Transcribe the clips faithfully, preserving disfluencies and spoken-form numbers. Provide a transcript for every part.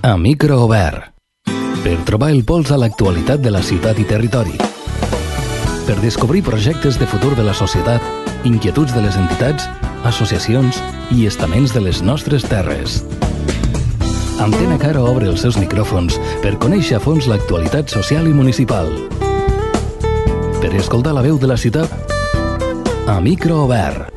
A micro obert. Per trobar el pols a l'actualitat de la ciutat i territori. Per descobrir projectes de futur de la societat, inquietuds de les entitats, associacions i estaments de les nostres terres. Antena Caro obre els seus micròfons per conèixer a fons l'actualitat social i municipal. Per escoltar la veu de la ciutat, a micro obert.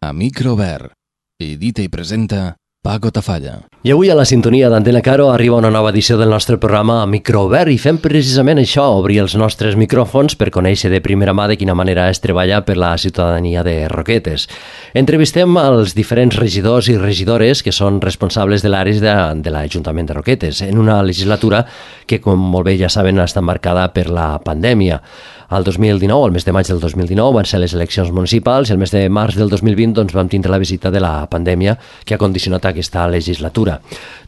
A micro obert. Edita i presenta Paco Tafalla. I avui a la sintonia d'Antena Caro arriba una nova edició del nostre programa a Microobert i fem precisament això, obrir els nostres micròfons per conèixer de primera mà de quina manera es treballa per la ciutadania de Roquetes. Entrevistem els diferents regidors i regidores que són responsables de l'àrea de, de l'Ajuntament de Roquetes en una legislatura que, com molt bé ja saben, està marcada per la pandèmia. El dos mil dinou, el mes de maig del dos mil dinou, van ser les eleccions municipals i el mes de març del dos mil vint doncs, vam tindre la visita de la pandèmia que ha condicionat aquesta legislatura.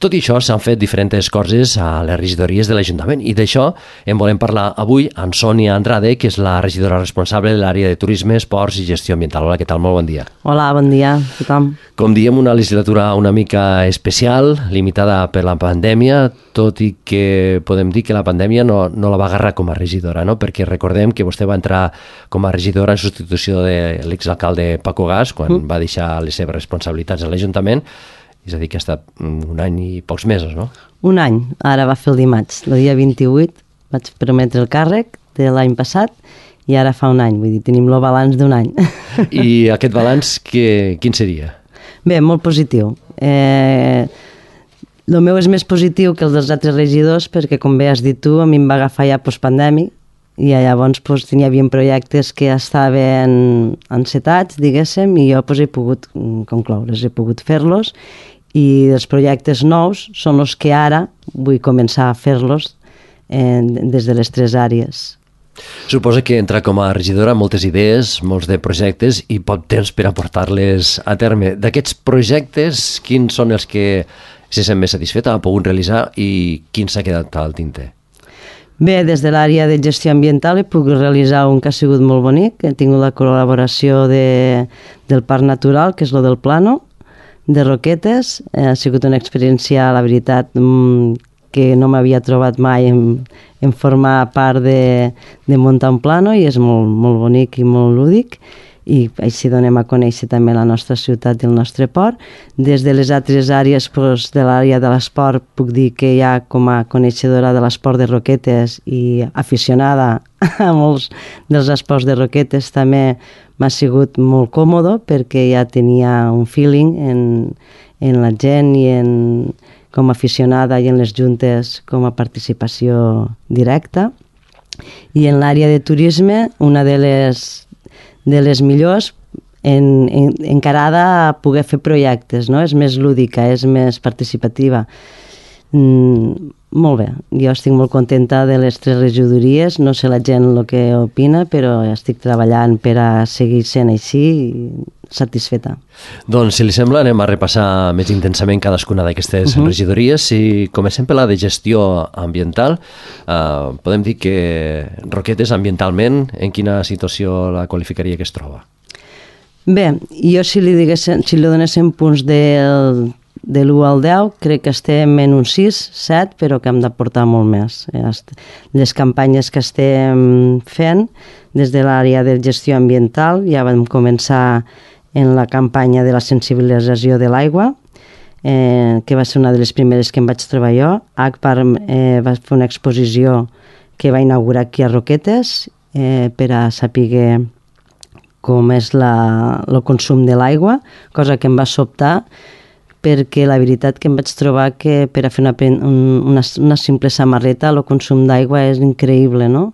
Tot i això, s'han fet diferents coses a les regidories de l'Ajuntament i d'això en volem parlar avui amb Sònia Andrade, que és la regidora responsable de l'àrea de turisme, esports i gestió ambiental. Hola, què tal? Molt bon dia. Hola, bon dia a tothom. Com diem, una legislatura una mica especial, limitada per la pandèmia, tot i que podem dir que la pandèmia no, no la va agarrar com a regidora, no? Perquè recordem que vostè va entrar com a regidora en substitució de l'exalcalde Paco Gas quan mm. va deixar les seves responsabilitats a l'Ajuntament, és a dir, que ha estat un any i pocs mesos, no? Un any, ara va fer el dimarts, el dia vint-i-vuit vaig prometre el càrrec de l'any passat i ara fa un any, vull dir, tenim el balanç d'un any. I aquest balanç, que, quin seria? Bé, molt positiu. Eh, el meu és més positiu que els dels altres regidors perquè, com bé has dit tu, a mi em va agafar ja postpandèmic i llavors pues, hi havia projectes que estaven encetats, diguéssim, i jo pues, he pogut concloure's, he pogut fer-los, i els projectes nous són els que ara vull començar a fer-los eh, des de les tres àrees. Suposa que entra com a regidora moltes idees, molts de projectes i poc temps per aportar-les a terme. D'aquests projectes, quins són els que se sent més satisfeta, ha pogut realitzar i quins s'ha quedat al tinter? Bé, des de l'àrea de gestió ambiental he pogut realitzar un que ha sigut molt bonic. He tingut la col·laboració de, del Parc Natural, que és lo del Plano, de Roquetes. Ha sigut una experiència, la veritat, que no m'havia trobat mai en, en formar part de, de muntar un plano i és molt, molt bonic i molt lúdic. I així donem a conèixer també la nostra ciutat i el nostre port. Des de les altres àrees, doncs, de l'àrea de l'esport, puc dir que ja com a coneixedora de l'esport de Roquetes i aficionada a molts dels esports de Roquetes també m'ha sigut molt còmode perquè ja tenia un feeling en, en la gent i en, com a aficionada i en les juntes com a participació directa. I en l'àrea de turisme, una de les de les millors en, en, encarada a poder fer projectes, no? És més lúdica, és més participativa. Mm, molt bé, jo estic molt contenta de les tres regidories, no sé la gent el que opina, però estic treballant per a seguir sent així i satisfeta. Doncs, si li sembla, anem a repassar més intensament cadascuna d'aquestes uh-huh. regidories. Si comencem per la de gestió ambiental, eh, podem dir que Roquetes ambientalment, en quina situació la qualificaria que es troba? Bé, jo si li, diguéssim, si li donéssim punts del, de l'u al deu, crec que estem en un sis, set, però que hem d'aportar molt més. Les campanyes que estem fent des de l'àrea de gestió ambiental, ja vam començar en la campanya de la sensibilització de l'aigua, eh, que va ser una de les primeres que em vaig trobar jo. Agbar eh, va fer una exposició que va inaugurar aquí a Roquetes eh, per a saber com és la, el consum de l'aigua, cosa que em va sobtar perquè la veritat que em vaig trobar que per a fer una, una, una simple samarreta el consum d'aigua és increïble, no?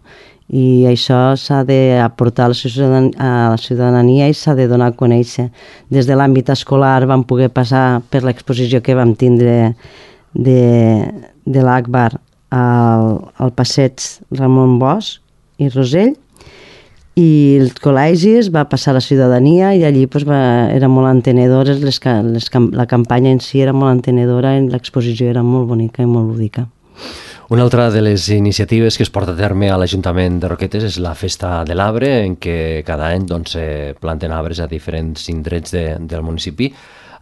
I això s'ha d'aportar a la ciutadania, a la ciutadania i s'ha de donar a conèixer. Des de l'àmbit escolar vam poder passar per l'exposició que vam tindre de, de l'Agbar al, al passeig Ramon Bosch i Rosell, i els col·legis va passar a la ciutadania i allí pues, va, eren molt entenedores, les, les, la campanya en si era molt entenedora i l'exposició era molt bonica i molt lúdica. Una altra de les iniciatives que es porta a terme a l'Ajuntament de Roquetes és la Festa de l'Arbre, en què cada any doncs, se planten arbres a diferents indrets de, del municipi.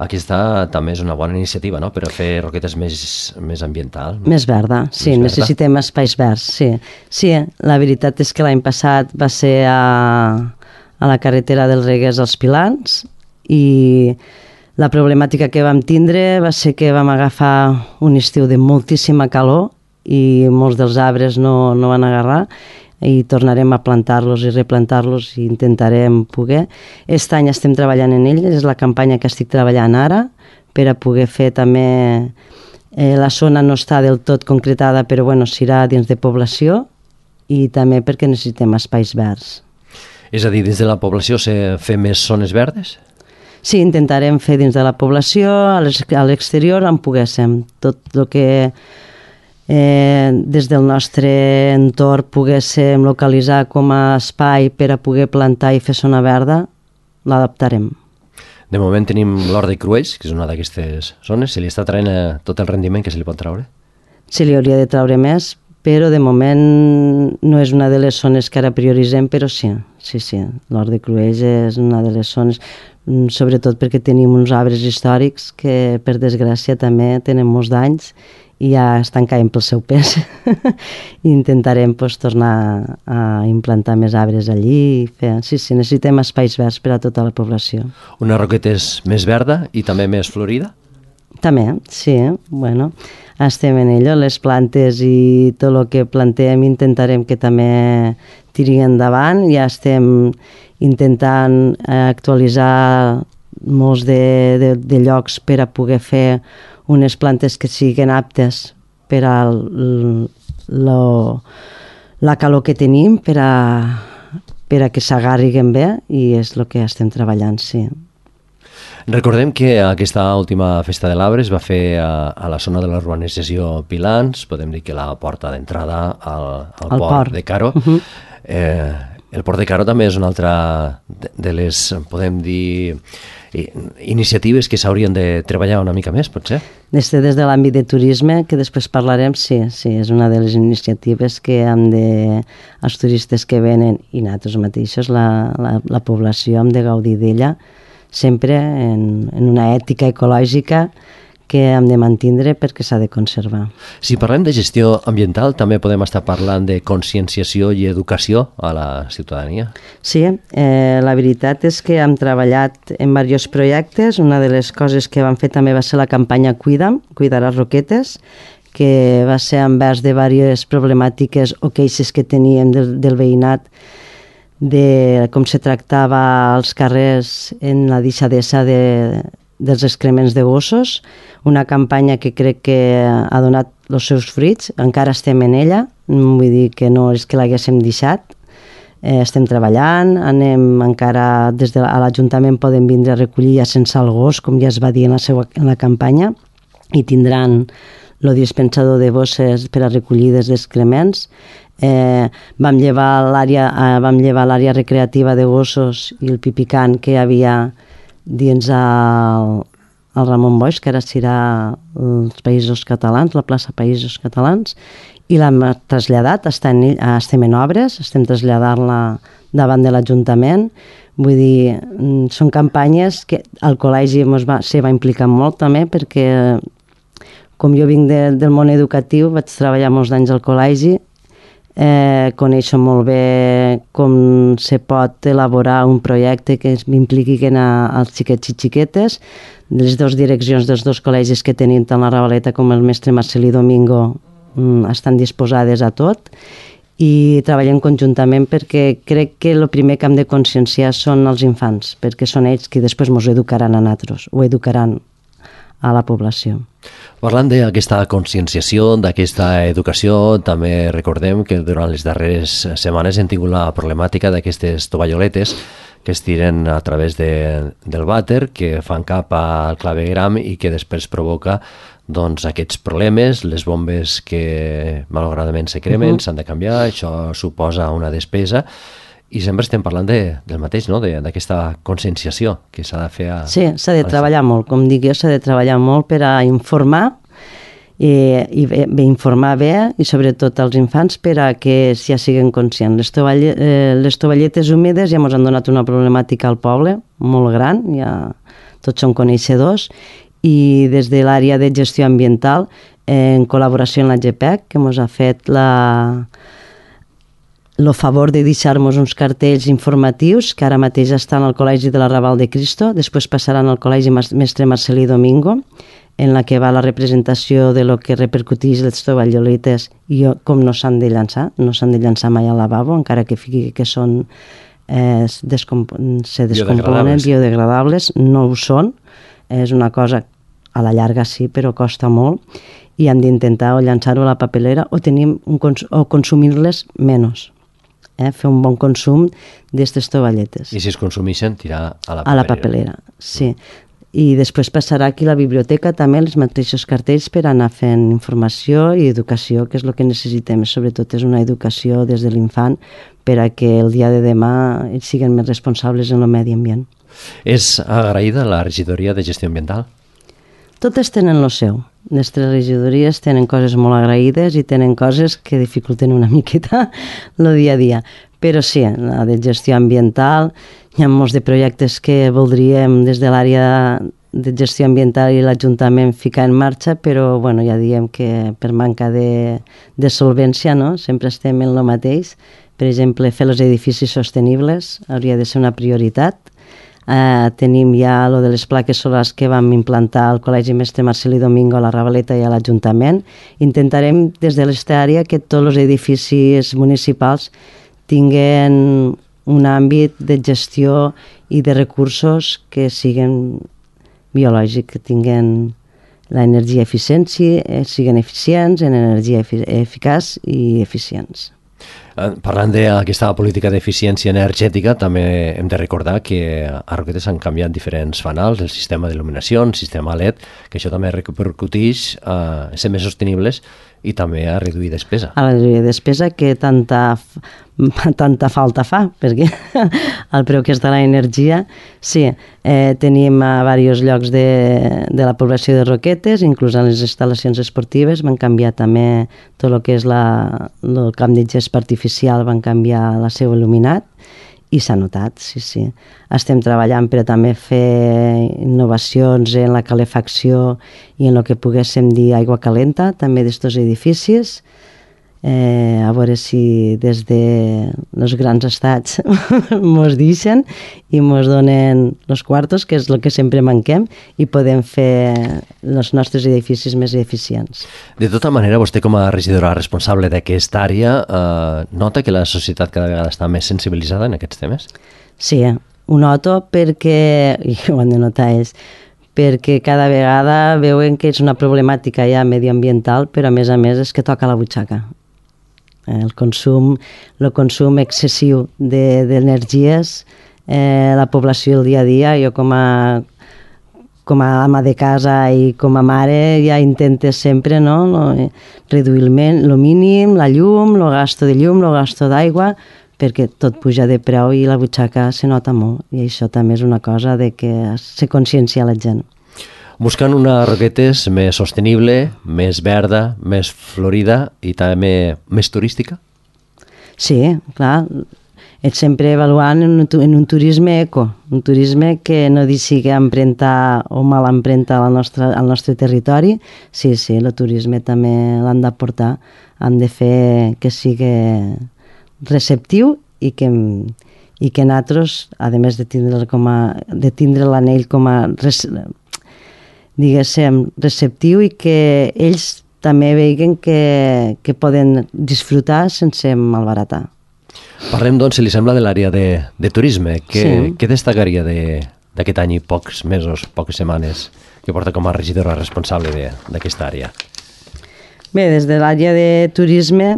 Aquesta també és una bona iniciativa, no?, per a fer roquetes més, més ambiental. Més verda, sí, més necessitem verda. Espais verds, sí. Sí, la veritat és que l'any passat va ser a, a la carretera dels Reguers als Pilans i la problemàtica que vam tindre va ser que vam agafar un estiu de moltíssima calor i molts dels arbres no, no van agarrar i tornarem a plantar-los i replantar-los i intentarem poder. Aquest any estem treballant en ell, és la campanya que estic treballant ara per a poder fer també... Eh, la zona no està del tot concretada, però bueno, serà dins de població i també perquè necessitem espais verds. És a dir, dins de la població se fer més zones verdes? Sí, intentarem fer dins de la població, a l'exterior on poguéssim. Tot el que... Eh, des del nostre entorn poguéssim localitzar com a espai per a poder plantar i fer zona verda, l'adaptarem. De moment tenim l'Hort de Cruells, que és una d'aquestes zones. Se li està traient tot el rendiment que se li pot traure? Se li hauria de traure més, però de moment no és una de les zones que ara prioritzem, però sí, sí, sí. L'Hort de Cruells és una de les zones, sobretot perquè tenim uns arbres històrics que, per desgràcia, també tenen molts danys i ja estan caient pel seu pes. I intentarem pues, tornar a implantar més arbres allí i fer... Sí, sí, necessitem espais verds per a tota la població. Una roqueta és més verda i també més florida? També, sí. Bueno, estem en ello. Les plantes i tot el que plantem intentarem que també tiri endavant. Ja estem intentant actualitzar molts de, de, de llocs per a poder fer unes plantes que siguin aptes per a lo, la calor que tenim, per a, per a que s'agarriguen bé, i és el que estem treballant, sí. Recordem que aquesta última Festa de l'Arbre es va fer a, a la zona de la urbanització Pilans, podem dir que la porta d'entrada al, al port, port de Caro. Uh-huh. eh, el port de Caro també és una altra de, de les, podem dir, iniciatives que s'haurien de treballar una mica més, potser? Des de, des de l'àmbit de turisme, que després parlarem, sí, sí, és una de les iniciatives que hem de, els turistes que venen i nosaltres mateixos, la, la, la població, hem de gaudir d'ella, sempre en, en una ètica ecològica que hem de mantindre perquè s'ha de conservar. Si parlem de gestió ambiental, també podem estar parlant de conscienciació i educació a la ciutadania? Sí, eh, la veritat és que hem treballat en diversos projectes. Una de les coses que vam fer també va ser la campanya Cuida'm, Cuidaràs Roquetes, que va ser envers de diverses problemàtiques o queixes que teníem del, del veïnat, de com se tractava als carrers en la deixadesa de dels excrements de gossos, una campanya que crec que ha donat els seus fruits, encara estem en ella, vull dir que no és que l'haguéssim deixat, eh, estem treballant, anem encara des de l'Ajuntament poden vindre a recollir ja sense el gos, com ja es va dir en la, seva, en la campanya, i tindran el dispensador de bosses per a recollir dels excrements. Eh, vam llevar l'àrea eh, vam llevar l'àrea recreativa de gossos i el pipicant que hi havia dins el, el Ramon Boix, que ara serà els Països Catalans, la plaça Països Catalans, i l'hem traslladat, està en, estem en obres, estem traslladant-la davant de l'Ajuntament. Vull dir, són campanyes que el col·legi va, se va implicar molt també, perquè com jo vinc de, del món educatiu, vaig treballar molts anys al col·legi, Eh, coneixo molt bé com se pot elaborar un projecte que impliqui als xiquets i xiquetes. Les dues direccions dels dos col·legis que tenim, tant la Ravaleta com el mestre Marcelí Domingo, mm, estan disposades a tot i treballem conjuntament perquè crec que el primer que hem de conscienciar són els infants, perquè són ells qui després ens educaran a nosaltres, o educaran a la població. Parlant d'aquesta conscienciació, d'aquesta educació, també recordem que durant les darreres setmanes hem tingut la problemàtica d'aquestes tovalloletes que es tiren a través de, del vàter, que fan cap al clavegram i que després provoca doncs, aquests problemes, les bombes que malauradament se cremen, uh-huh. s'han de canviar, això suposa una despesa. I sempre estem parlant de, del mateix, no? D'aquesta conscienciació que s'ha de fer a... Sí, s'ha de treballar molt, com dic jo, s'ha de treballar molt per a informar i, i bé, bé, informar bé i sobretot als infants per a que ja siguin conscients. Les, tovalle, eh, les tovalletes húmides ja ens han donat una problemàtica al poble molt gran, ja tots són coneixedors, i des de l'àrea de gestió ambiental, en col·laboració amb la G P E C, que ens ha fet la... el favor de deixar-nos uns cartells informatius que ara mateix estan al Col·legi de l'Arrabal de Cristo, després passaran al Col·legi Mestre Marcelí Domingo, en la que va la representació de lo que repercuteix les tovalloletes i com no s'han de llançar, no s'han de llançar mai al lavabo, encara que fiqui que són eh, descomp se descomponen, biodegradables. biodegradables, no ho són, és una cosa a la llarga sí, però costa molt, i hem d'intentar o llançar-ho a la papelera o, tenim un cons o consumir-les menys. Eh, fer un bon consum d'aquestes tovalletes. I si es consumeixen, tirar a la papelera. A la papelera, sí. I després passarà aquí a la biblioteca també els mateixos cartells per anar fent informació i educació, que és el que necessitem. Sobretot és una educació des de l'infant per a que el dia de demà ells siguin més responsables en el medi ambient. És agraïda la regidoria de gestió ambiental? Totes tenen el seu. Les tres regidories tenen coses molt agraïdes i tenen coses que dificulten una miqueta el dia a dia. Però sí, la de gestió ambiental, hi ha molts de projectes que voldríem des de l'àrea de gestió ambiental i l'Ajuntament ficar en marxa, però bueno, ja diem que per manca de, de solvència, no? Sempre estem en el mateix. Per exemple, fer els edificis sostenibles hauria de ser una prioritat. Uh, tenim ja lo de les plaques solars que vam implantar al Col·legi Mestre Marcelí Domingo, a la Ravaleta i a l'Ajuntament. Intentarem des de l'esta àrea que tots els edificis municipals tinguen un àmbit de gestió i de recursos que siguin biològics, que tinguen l'energia eficiència, siguin eficients en energia efic eficaç i eficients. Parlant d'aquesta política d'eficiència energètica, també hem de recordar que a Roquetes han canviat diferents fanals, el sistema d'il·luminació, el sistema L E D, que això també repercuteix a ser més sostenibles i també a reduir despesa. A reduir despesa que tanta, tanta falta fa, perquè el preu que està la energia, sí, eh, tenim a diversos llocs de, de la població de Roquetes, inclús en les instal·lacions esportives, van canviar també tot el que és la, el camp de gest artificial, van canviar la seu il·luminat, i s'ha notat, sí, sí. Estem treballant per a també fer innovacions en la calefacció i en el que poguéssim dir aigua calenta, també d'estos edificis, eh, a veure si des de els grans estats mos deixen i mos donen els quartos, que és el que sempre manquem, i podem fer els nostres edificis més eficients. De tota manera, vostè com a regidora responsable d'aquesta àrea eh, nota que la societat cada vegada està més sensibilitzada en aquests temes? Sí, ho noto perquè, i ho han de notar ells, perquè cada vegada veuen que és una problemàtica ja medioambiental, però a més a més és que toca la butxaca. El consum, el consum excessiu d'energies, eh, la població el dia a dia, jo com a, com a ama de casa i com a mare ja intentes sempre, no, no, reduir el mínim, la llum, el gasto de llum, el gasto d'aigua, perquè tot puja de preu i la butxaca se nota molt, i això també és una cosa de que se consciencia la gent. Buscant una Roquetes més sostenible, més verda, més florida i també més turística? Sí, clar. És sempre avaluant en un, en un turisme eco, un turisme que no deixi empremta o mal empremta al nostre, al nostre territori. Sí, sí, el turisme també l'han d'aportar. Han de fer que sigui receptiu i que, i que nosaltres, a més de tindre, com a, de tindre l'anell com a diguéssim, receptiu i que ells també veuen que, que poden disfrutar sense malbaratar. Parlem, doncs, si li sembla, de l'àrea de, de turisme. Què, sí. Què destacaria d'aquest any i pocs mesos, poques setmanes, que porta com a regidora responsable d'aquesta àrea? Bé, des de l'àrea de turisme,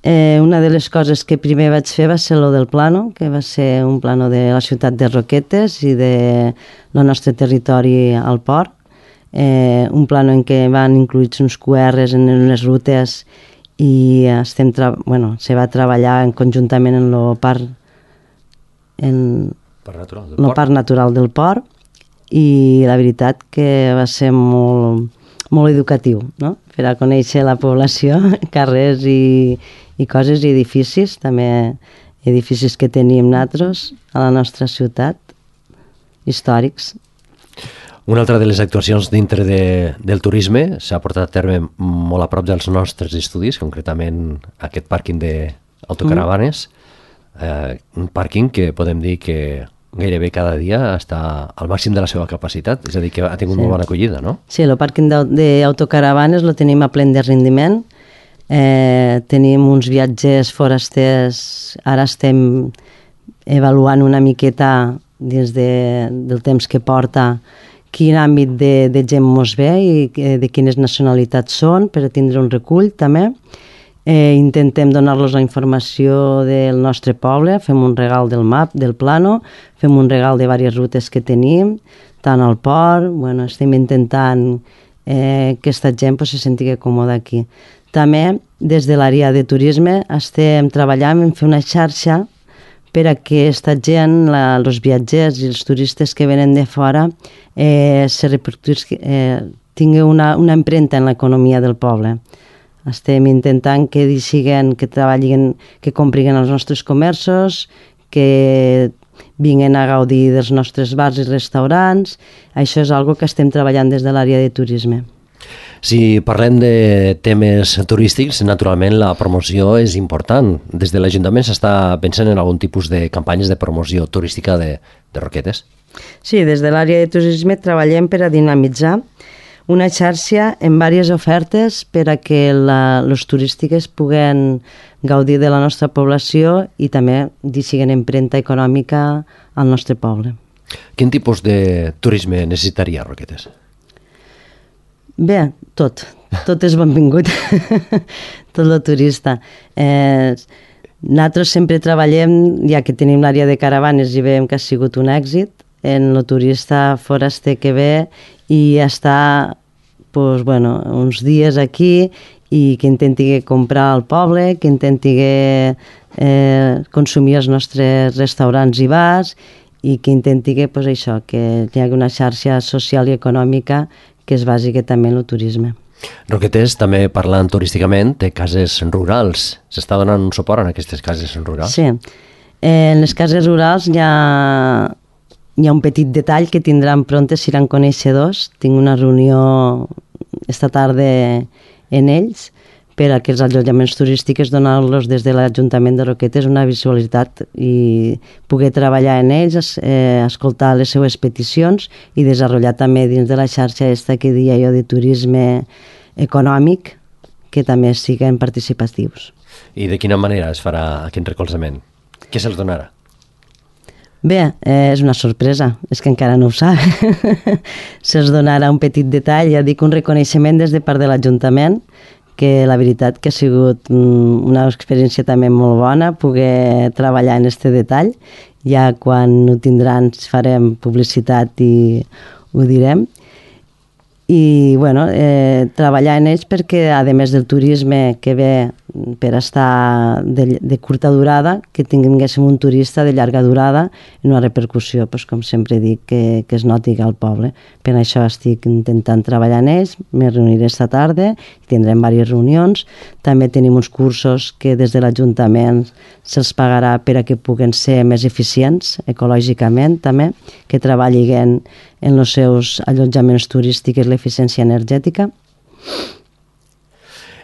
eh, una de les coses que primer vaig fer va ser lo del plano, que va ser un plano de la ciutat de Roquetes i de el nostre territori al port. Eh, un plano en què van incluïts uns Q Rs en les rutes i estem bueno, se va treballar en conjuntament en el parc en parc natural del el port. parc natural del port, i la veritat que va ser molt, molt educatiu, no? Per a conèixer la població, carrers i, i coses i edificis, també edificis que tenim nosaltres a la nostra ciutat, històrics. Una altra de les actuacions dintre de, del turisme s'ha portat a terme molt a prop dels nostres estudis, concretament aquest pàrquing d'autocaravanes, mm. eh, un pàrquing que podem dir que gairebé cada dia està al màxim de la seva capacitat, és a dir, que ha tingut sí. molt bona acollida, no? Sí, el pàrquing d'autocaravanes lo tenim a plen de rendiment, eh, tenim uns viatgers forasters, ara estem avaluant una miqueta dins de, del temps que porta quin àmbit de, de gent mos ve i de quines nacionalitats són per tindre un recull també. Eh, intentem donar-los la informació del nostre poble, fem un regal del map, del plano, fem un regal de diverses rutes que tenim, tant al port, bueno, estem intentant eh, que aquesta gent pues, se senti còmoda aquí. També, des de l'àrea de turisme, estem treballant en fer una xarxa per a que aquesta gent, la, els viatgers i els turistes que venen de fora eh, se eh, tingui una, una empremta en l'economia del poble. Estem intentant que siguen, que treballin, que compriguen els nostres comerços, que vinguin a gaudir dels nostres bars i restaurants. Això és algo que estem treballant des de l'àrea de turisme. Si parlem de temes turístics, naturalment la promoció és important. Des de l'Ajuntament s'està pensant en algun tipus de campanyes de promoció turística de, de Roquetes? Sí, des de l'àrea de turisme treballem per a dinamitzar una xarxa amb diverses ofertes per a que la, les turístiques puguen gaudir de la nostra població i també deixin empremta econòmica al nostre poble. Quin tipus de turisme necessitaria Roquetes? Bé, tot. Tot és benvingut. Tot el turista. Eh, nosaltres sempre treballem, ja que tenim l'àrea de caravanes i veiem que ha sigut un èxit, en el turista foraster que ve i està pues, bueno, uns dies aquí i que intenti comprar al poble, que intenti eh, consumir els nostres restaurants i bars i que intenti pues, això, que hi hagi una xarxa social i econòmica que és bàsica també en el turisme. Roquetes, també parlant turísticament, té cases rurals. S'està donant un suport en aquestes cases rurals? Sí. Eh, en les cases rurals hi ha, hi ha un petit detall que tindran prontes, seran coneixedors. Tinc una reunió esta tarda en ells per a que els allotjaments turístics donar-los des de l'Ajuntament de Roquetes una visualitat i poder treballar en ells, eh, escoltar les seues peticions i desenvolupar també dins de la xarxa esta que dia jo de turisme econòmic que també siguin participatius. I de quina manera es farà aquest recolzament? Què se'ls donarà? Bé, eh, és una sorpresa, és que encara no ho sap. Se'ls donarà un petit detall, ja dic, un reconeixement des de part de l'Ajuntament, que la veritat que ha sigut una experiència també molt bona poder treballar en aquest detall. Ja quan ho tindran farem publicitat i ho direm. I bueno, eh, treballar en ells perquè, a més del turisme que ve per estar de, de curta durada, que tinguéssim un turista de llarga durada i una repercussió, doncs, com sempre dic, que, que es noti al poble. Per això estic intentant treballar en ells, me reuniré esta tarda, tindrem diverses reunions. També tenim uns cursos que des de l'Ajuntament se'ls pagarà per a que puguen ser més eficients ecològicament també, que treballin en els seus allotjaments turístics l'eficiència energètica.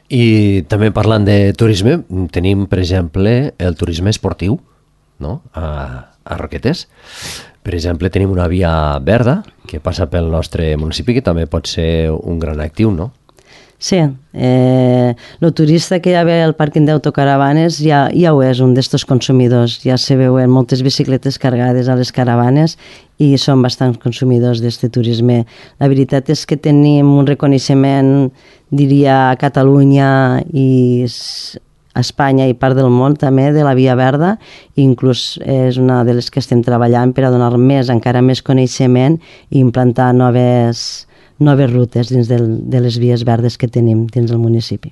I també parlant de turisme, tenim, per exemple, el turisme esportiu, no? a, a Roquetes. Per exemple, tenim una via verda que passa pel nostre municipi, que també pot ser un gran actiu, no? Sí, eh, el turista que ja ve al pàrquing d'autocaravanes ja, ja ho és, un d'estos consumidors. Ja se veuen moltes bicicletes cargades a les caravanes i són bastants consumidors d'aquest turisme. La veritat és que tenim un reconeixement, diria, a Catalunya i a Espanya i part del món també de la Via Verda, i inclús és una de les que estem treballant per a donar més, encara més coneixement i implantar noves noves rutes dins del, de les vies verdes que tenim dins del municipi.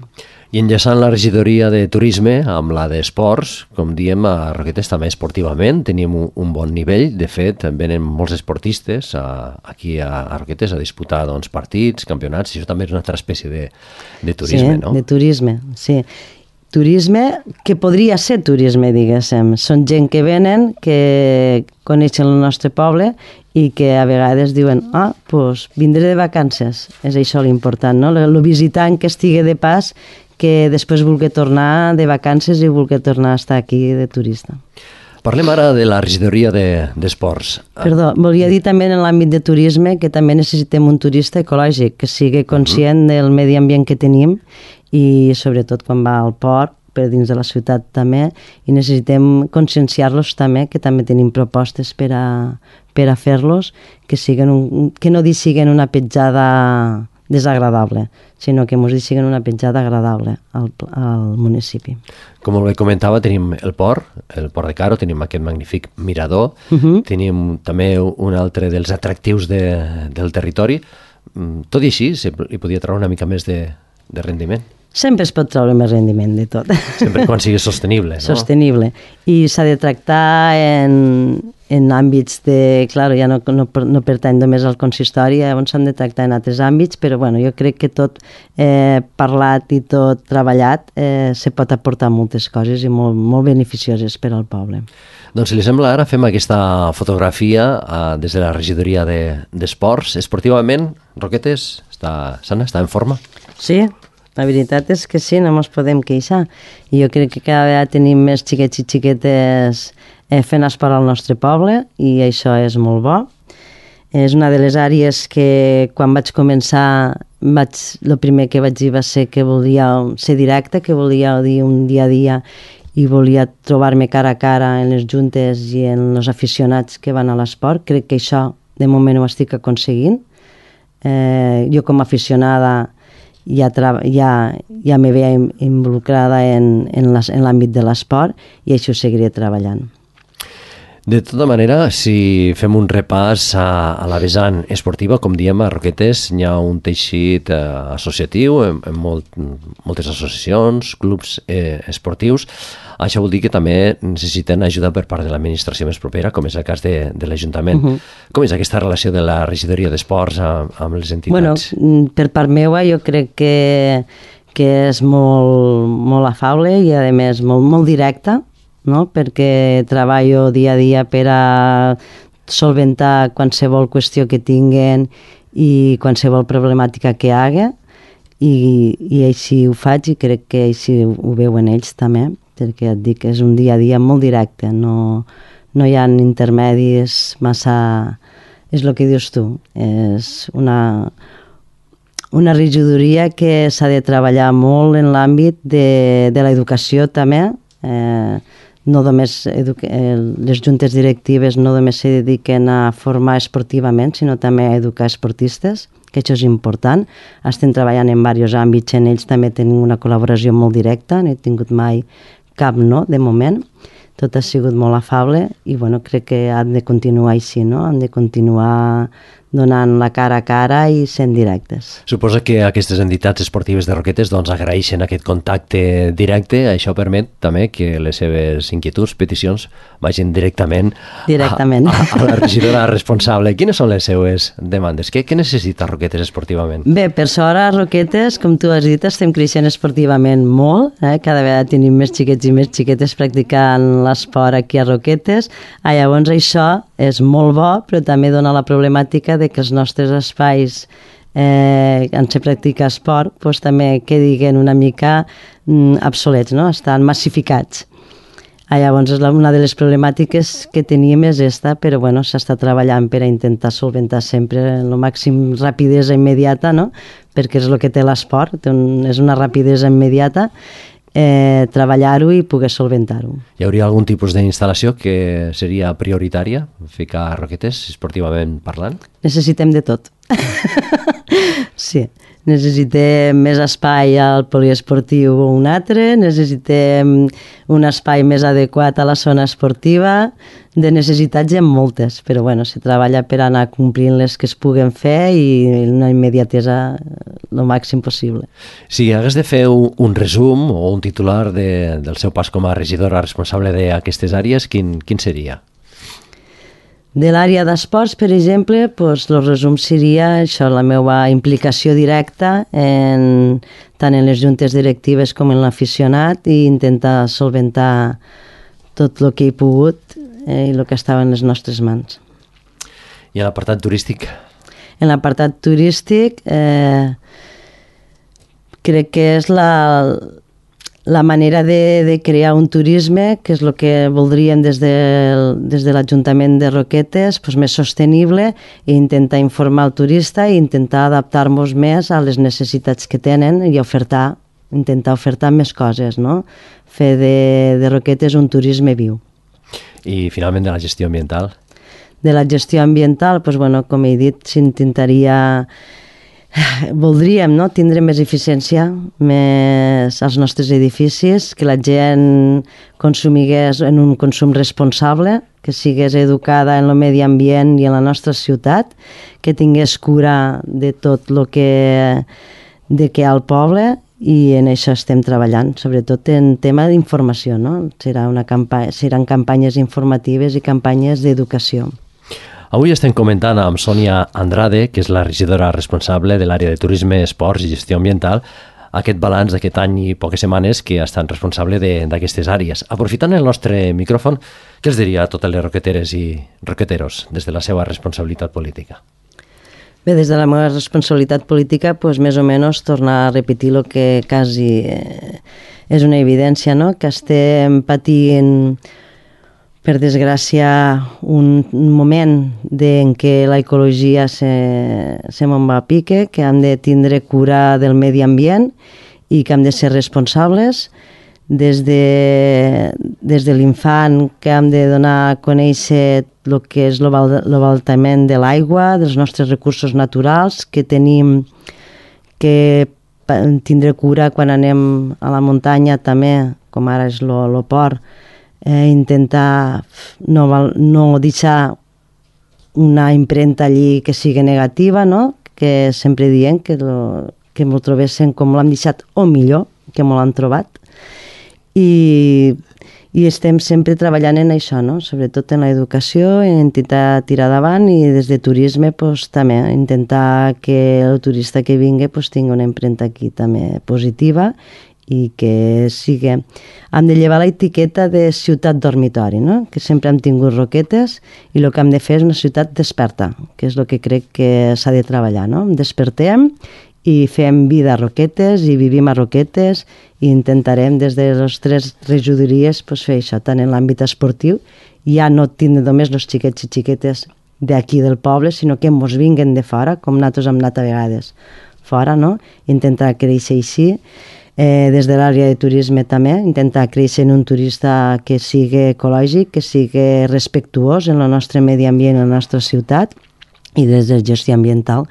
I enllaçant la regidoria de turisme amb la d'esports, com diem, a Roquetes també esportivament tenim un, un bon nivell. De fet, venen molts esportistes a, aquí a, a Roquetes a disputar doncs, partits, campionats, i això també és una altra espècie de, de turisme, sí, no? de turisme, sí. turisme que podria ser turisme, diguéssim. Són gent que venen, que coneixen el nostre poble i que a vegades diuen, ah, doncs vindré de vacances. És això l'important, no? El visitant que estigui de pas, que després vulgui tornar de vacances i vulgui tornar a estar aquí de turista. Parlem ara de la regidoria d'esports. De, Perdó, volia dir també en l'àmbit de turisme que també necessitem un turista ecològic, que sigui conscient del medi ambient que tenim i sobretot quan va al port, per dins de la ciutat també, i necessitem conscienciar-los també, que també tenim propostes per a, per a fer-los, que, siguen un, que no siguen una petjada desagradable, sinó que ens siguen una petjada agradable al, al municipi. Com bé comentava, tenim el port, el port de Caro, tenim aquest magnífic mirador, uh -huh. tenim també un altre dels atractius de, del territori. Tot i així, li podia treure una mica més de, de rendiment. Sempre es pot treure més rendiment de tot. Sempre quan sigui sostenible, no? Sostenible. I s'ha de tractar en, en àmbits de... Clar, ja no, no, no pertany només al consistori, on s'han de tractar en altres àmbits, però bueno, jo crec que tot eh, parlat i tot treballat eh, se pot aportar moltes coses i molt, molt beneficioses per al poble. Doncs si li sembla, ara fem aquesta fotografia eh, des de la regidoria d'esports. De, Esportivament, Roquetes, està sana, està en forma? Sí, la veritat és que sí, no ens podem queixar. I jo crec que cada vegada tenim més xiquets i xiquetes eh, fent esport al nostre poble i això és molt bo. És una de les àrees que quan vaig començar, vaig, el primer que vaig dir va ser que volia ser directe, que volia dir un dia a dia i volia trobar-me cara a cara en les juntes i en els aficionats que van a l'esport. Crec que això de moment ho estic aconseguint. Eh, jo com a aficionada ja, ja, ja me veia involucrada en, en l'àmbit de l'esport i això ho seguiré treballant. De tota manera, si fem un repàs a, a la vessant esportiva, com diem, a Roquetes hi ha un teixit eh, associatiu, en, en molt, moltes associacions, clubs eh, esportius. Això vol dir que també necessiten ajuda per part de l'administració més propera, com és el cas de, de l'Ajuntament. Uh -huh. Com és aquesta relació de la regidoria d'esports amb, amb les entitats? Bueno, per part meva jo crec que, que és molt, molt afable i a més molt, molt directa, no? Perquè treballo dia a dia per a solventar qualsevol qüestió que tinguen i qualsevol problemàtica que hi hagi i, i així ho faig i crec que així ho veuen ells també, perquè et dic que és un dia a dia molt directe, no, no hi ha intermedis massa... És el que dius tu, és una, una regidoria que s'ha de treballar molt en l'àmbit de, de l'educació també, eh, no només les juntes directives no només se dediquen a formar esportivament, sinó també a educar esportistes, que això és important. Estem treballant en diversos àmbits, en ells també tenim una col·laboració molt directa, no he tingut mai cap no, de moment. Tot ha sigut molt afable i bueno, crec que han de continuar així, no? Han de continuar donant la cara a cara i sent directes. Suposa que aquestes entitats esportives de Roquetes doncs, agraeixen aquest contacte directe. Això permet també que les seves inquietuds, peticions, vagin directament, directament. A, a, a la regidora responsable. Quines són les seues demandes? Què, què necessita Roquetes esportivament? Bé, per sort a Roquetes, com tu has dit, estem creixent esportivament molt. Eh? Cada vegada tenim més xiquets i més xiquetes practicant l'esport aquí a Roquetes. Ah, llavors això és molt bo, però també dona la problemàtica de que els nostres espais eh, on se practica esport doncs, també quedin una mica mm, obsolets, no? Estan massificats. Ah, llavors, una de les problemàtiques que teníem és esta, però bueno, s'està treballant per a intentar solventar sempre el màxim rapidesa immediata, no? Perquè és el que té l'esport, un, és una rapidesa immediata, eh, treballar-ho i poder solventar-ho. Hi hauria algun tipus d'instal·lació que seria prioritària ficar a Roquetes, esportivament parlant? Necessitem de tot. Sí, necessitem més espai al poliesportiu o un altre, necessitem un espai més adequat a la zona esportiva, de necessitats hi ha moltes, però bueno, se treballa per anar complint les que es puguen fer i una immediatesa el màxim possible. Si hagués de fer un resum o un titular de, del seu pas com a regidora responsable d'aquestes àrees, quin, quin seria? De l'àrea d'esports, per exemple, doncs, el resum seria això, la meva implicació directa en, tant en les juntes directives com en l'aficionat i intentar solventar tot el que he pogut eh, i el que estava en les nostres mans. I en l'apartat turístic? En l'apartat turístic eh, crec que és la... la manera de, de crear un turisme, que és el que voldríem des de, des de l'Ajuntament de Roquetes, doncs més sostenible, i intentar informar el turista i intentar adaptar-nos més a les necessitats que tenen i ofertar, intentar ofertar més coses, no? Fer de, de Roquetes un turisme viu. I finalment de la gestió ambiental? De la gestió ambiental, doncs, bueno, com he dit, s'intentaria... Voldríem no? tindre més eficiència més als nostres edificis, que la gent consumigués en un consum responsable, que sigués educada en el medi ambient i en la nostra ciutat, que tingués cura de tot el que, de que hi ha al poble, i en això estem treballant, sobretot en tema d'informació. No? Serà una campa- seran campanyes informatives i campanyes d'educació. Avui estem comentant amb Sònia Andrade, que és la regidora responsable de l'àrea de turisme, esports i gestió ambiental, aquest balanç d'aquest any i poques setmanes que ha estat responsable d'aquestes àrees. Aprofitant el nostre micròfon, què els diria a totes les roqueteres i roqueteros des de la seva responsabilitat política? Bé, des de la meva responsabilitat política, doncs, més o menys tornar a repetir el que quasi eh, és una evidència, no? Que estem patint, per desgràcia, un moment en què l'ecologia se, se me'n va a pique, que hem de tindre cura del medi ambient i que hem de ser responsables des de, des de l'infant, que hem de donar a conèixer el que és l'abaltament de l'aigua, dels nostres recursos naturals, que tenim que tindre cura quan anem a la muntanya també, com ara és el port, Eh, intentar no, no deixar una impremta allí que sigui negativa, no? Que sempre diem que, lo, que m'ho trobessin com l'hem deixat o millor que m'ho l'han trobat, i, i estem sempre treballant en això, no? Sobretot en l'educació, en intentar tirar davant, i des de turisme pues, també intentar que el turista que vingui pues, tingui una impremta aquí també positiva i que sigui... Hem de llevar l'etiqueta de ciutat dormitori, no? Que sempre hem tingut Roquetes, i el que hem de fer és una ciutat desperta, que és el que crec que s'ha de treballar, no? Despertem i fem vida a Roquetes i vivim a Roquetes, i intentarem des de les tres regidories pues, fer això, tant en l'àmbit esportiu, ja no tindre només els xiquets i xiquetes d'aquí del poble, sinó que mos vinguen de fora, com nosaltres hem anat a vegades fora, no? Intentar créixer així. Eh, des de l'àrea de turisme també, intentar créixer en un turista que sigui ecològic, que sigui respectuós en el nostre medi ambient, en la nostra ciutat, i des de gestió ambiental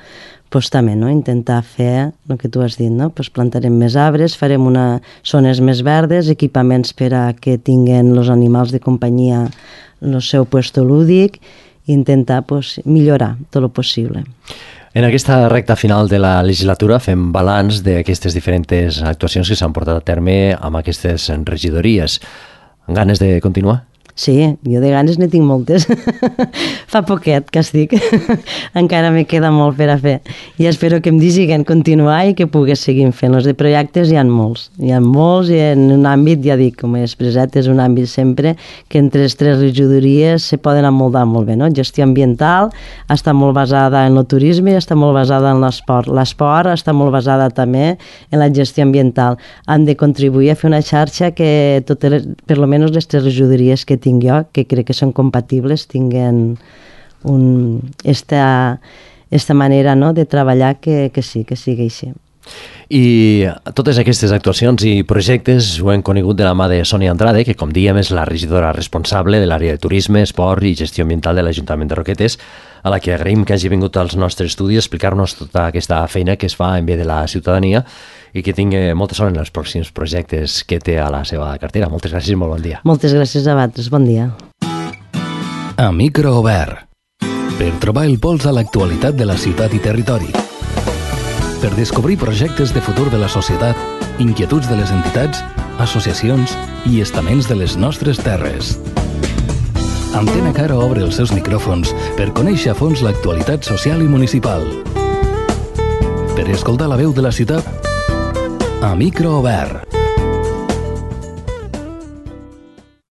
pues, també, no? Intentar fer el que tu has dit, no? Pues, plantarem més arbres, farem una, zones més verdes, equipaments per a que tinguen els animals de companyia el seu puesto lúdic, i intentar pues, millorar tot el possible. En aquesta recta final de la legislatura fem balanç d'aquestes diferents actuacions que s'han portat a terme amb aquestes regidories. Ganes de continuar? Sí, jo de ganes ne tinc moltes. Fa poquet que estic. Encara me queda molt per a fer. I espero que em diguen continuar i que pugui seguir fent. Els de projectes hi ha molts. Hi ha molts, i en un àmbit, ja dic, com he expressat, és un àmbit sempre que entre les tres regidories se poden amoldar molt bé. No? Gestió ambiental està molt basada en el turisme i està molt basada en l'esport. L'esport està molt basada també en la gestió ambiental. Han de contribuir a fer una xarxa que totes les, per almenys les tres regidories que tinc jo, que crec que són compatibles, tinguen un, esta, esta manera, no?, de treballar que, que sí, que sigui així. I totes aquestes actuacions i projectes ho hem conegut de la mà de Sònia Andrade, que com dèiem és la regidora responsable de l'àrea de turisme, esport i gestió ambiental de l'Ajuntament de Roquetes, a la que agraïm que hagi vingut als nostres estudis a explicar-nos tota aquesta feina que es fa en bé de la ciutadania, i que tingui molta sort en els pròxims projectes que té a la seva cartera. Moltes gràcies i molt bon dia. Moltes gràcies a vosaltres, bon dia. A micro obert, per trobar el pols a l'actualitat de la ciutat i territori, per descobrir projectes de futur de la societat, inquietuds de les entitats, associacions i estaments de les nostres terres. Antena Caro obre els seus micròfons per conèixer a fons l'actualitat social i municipal. Per escoltar la veu de la ciutat a micro obert.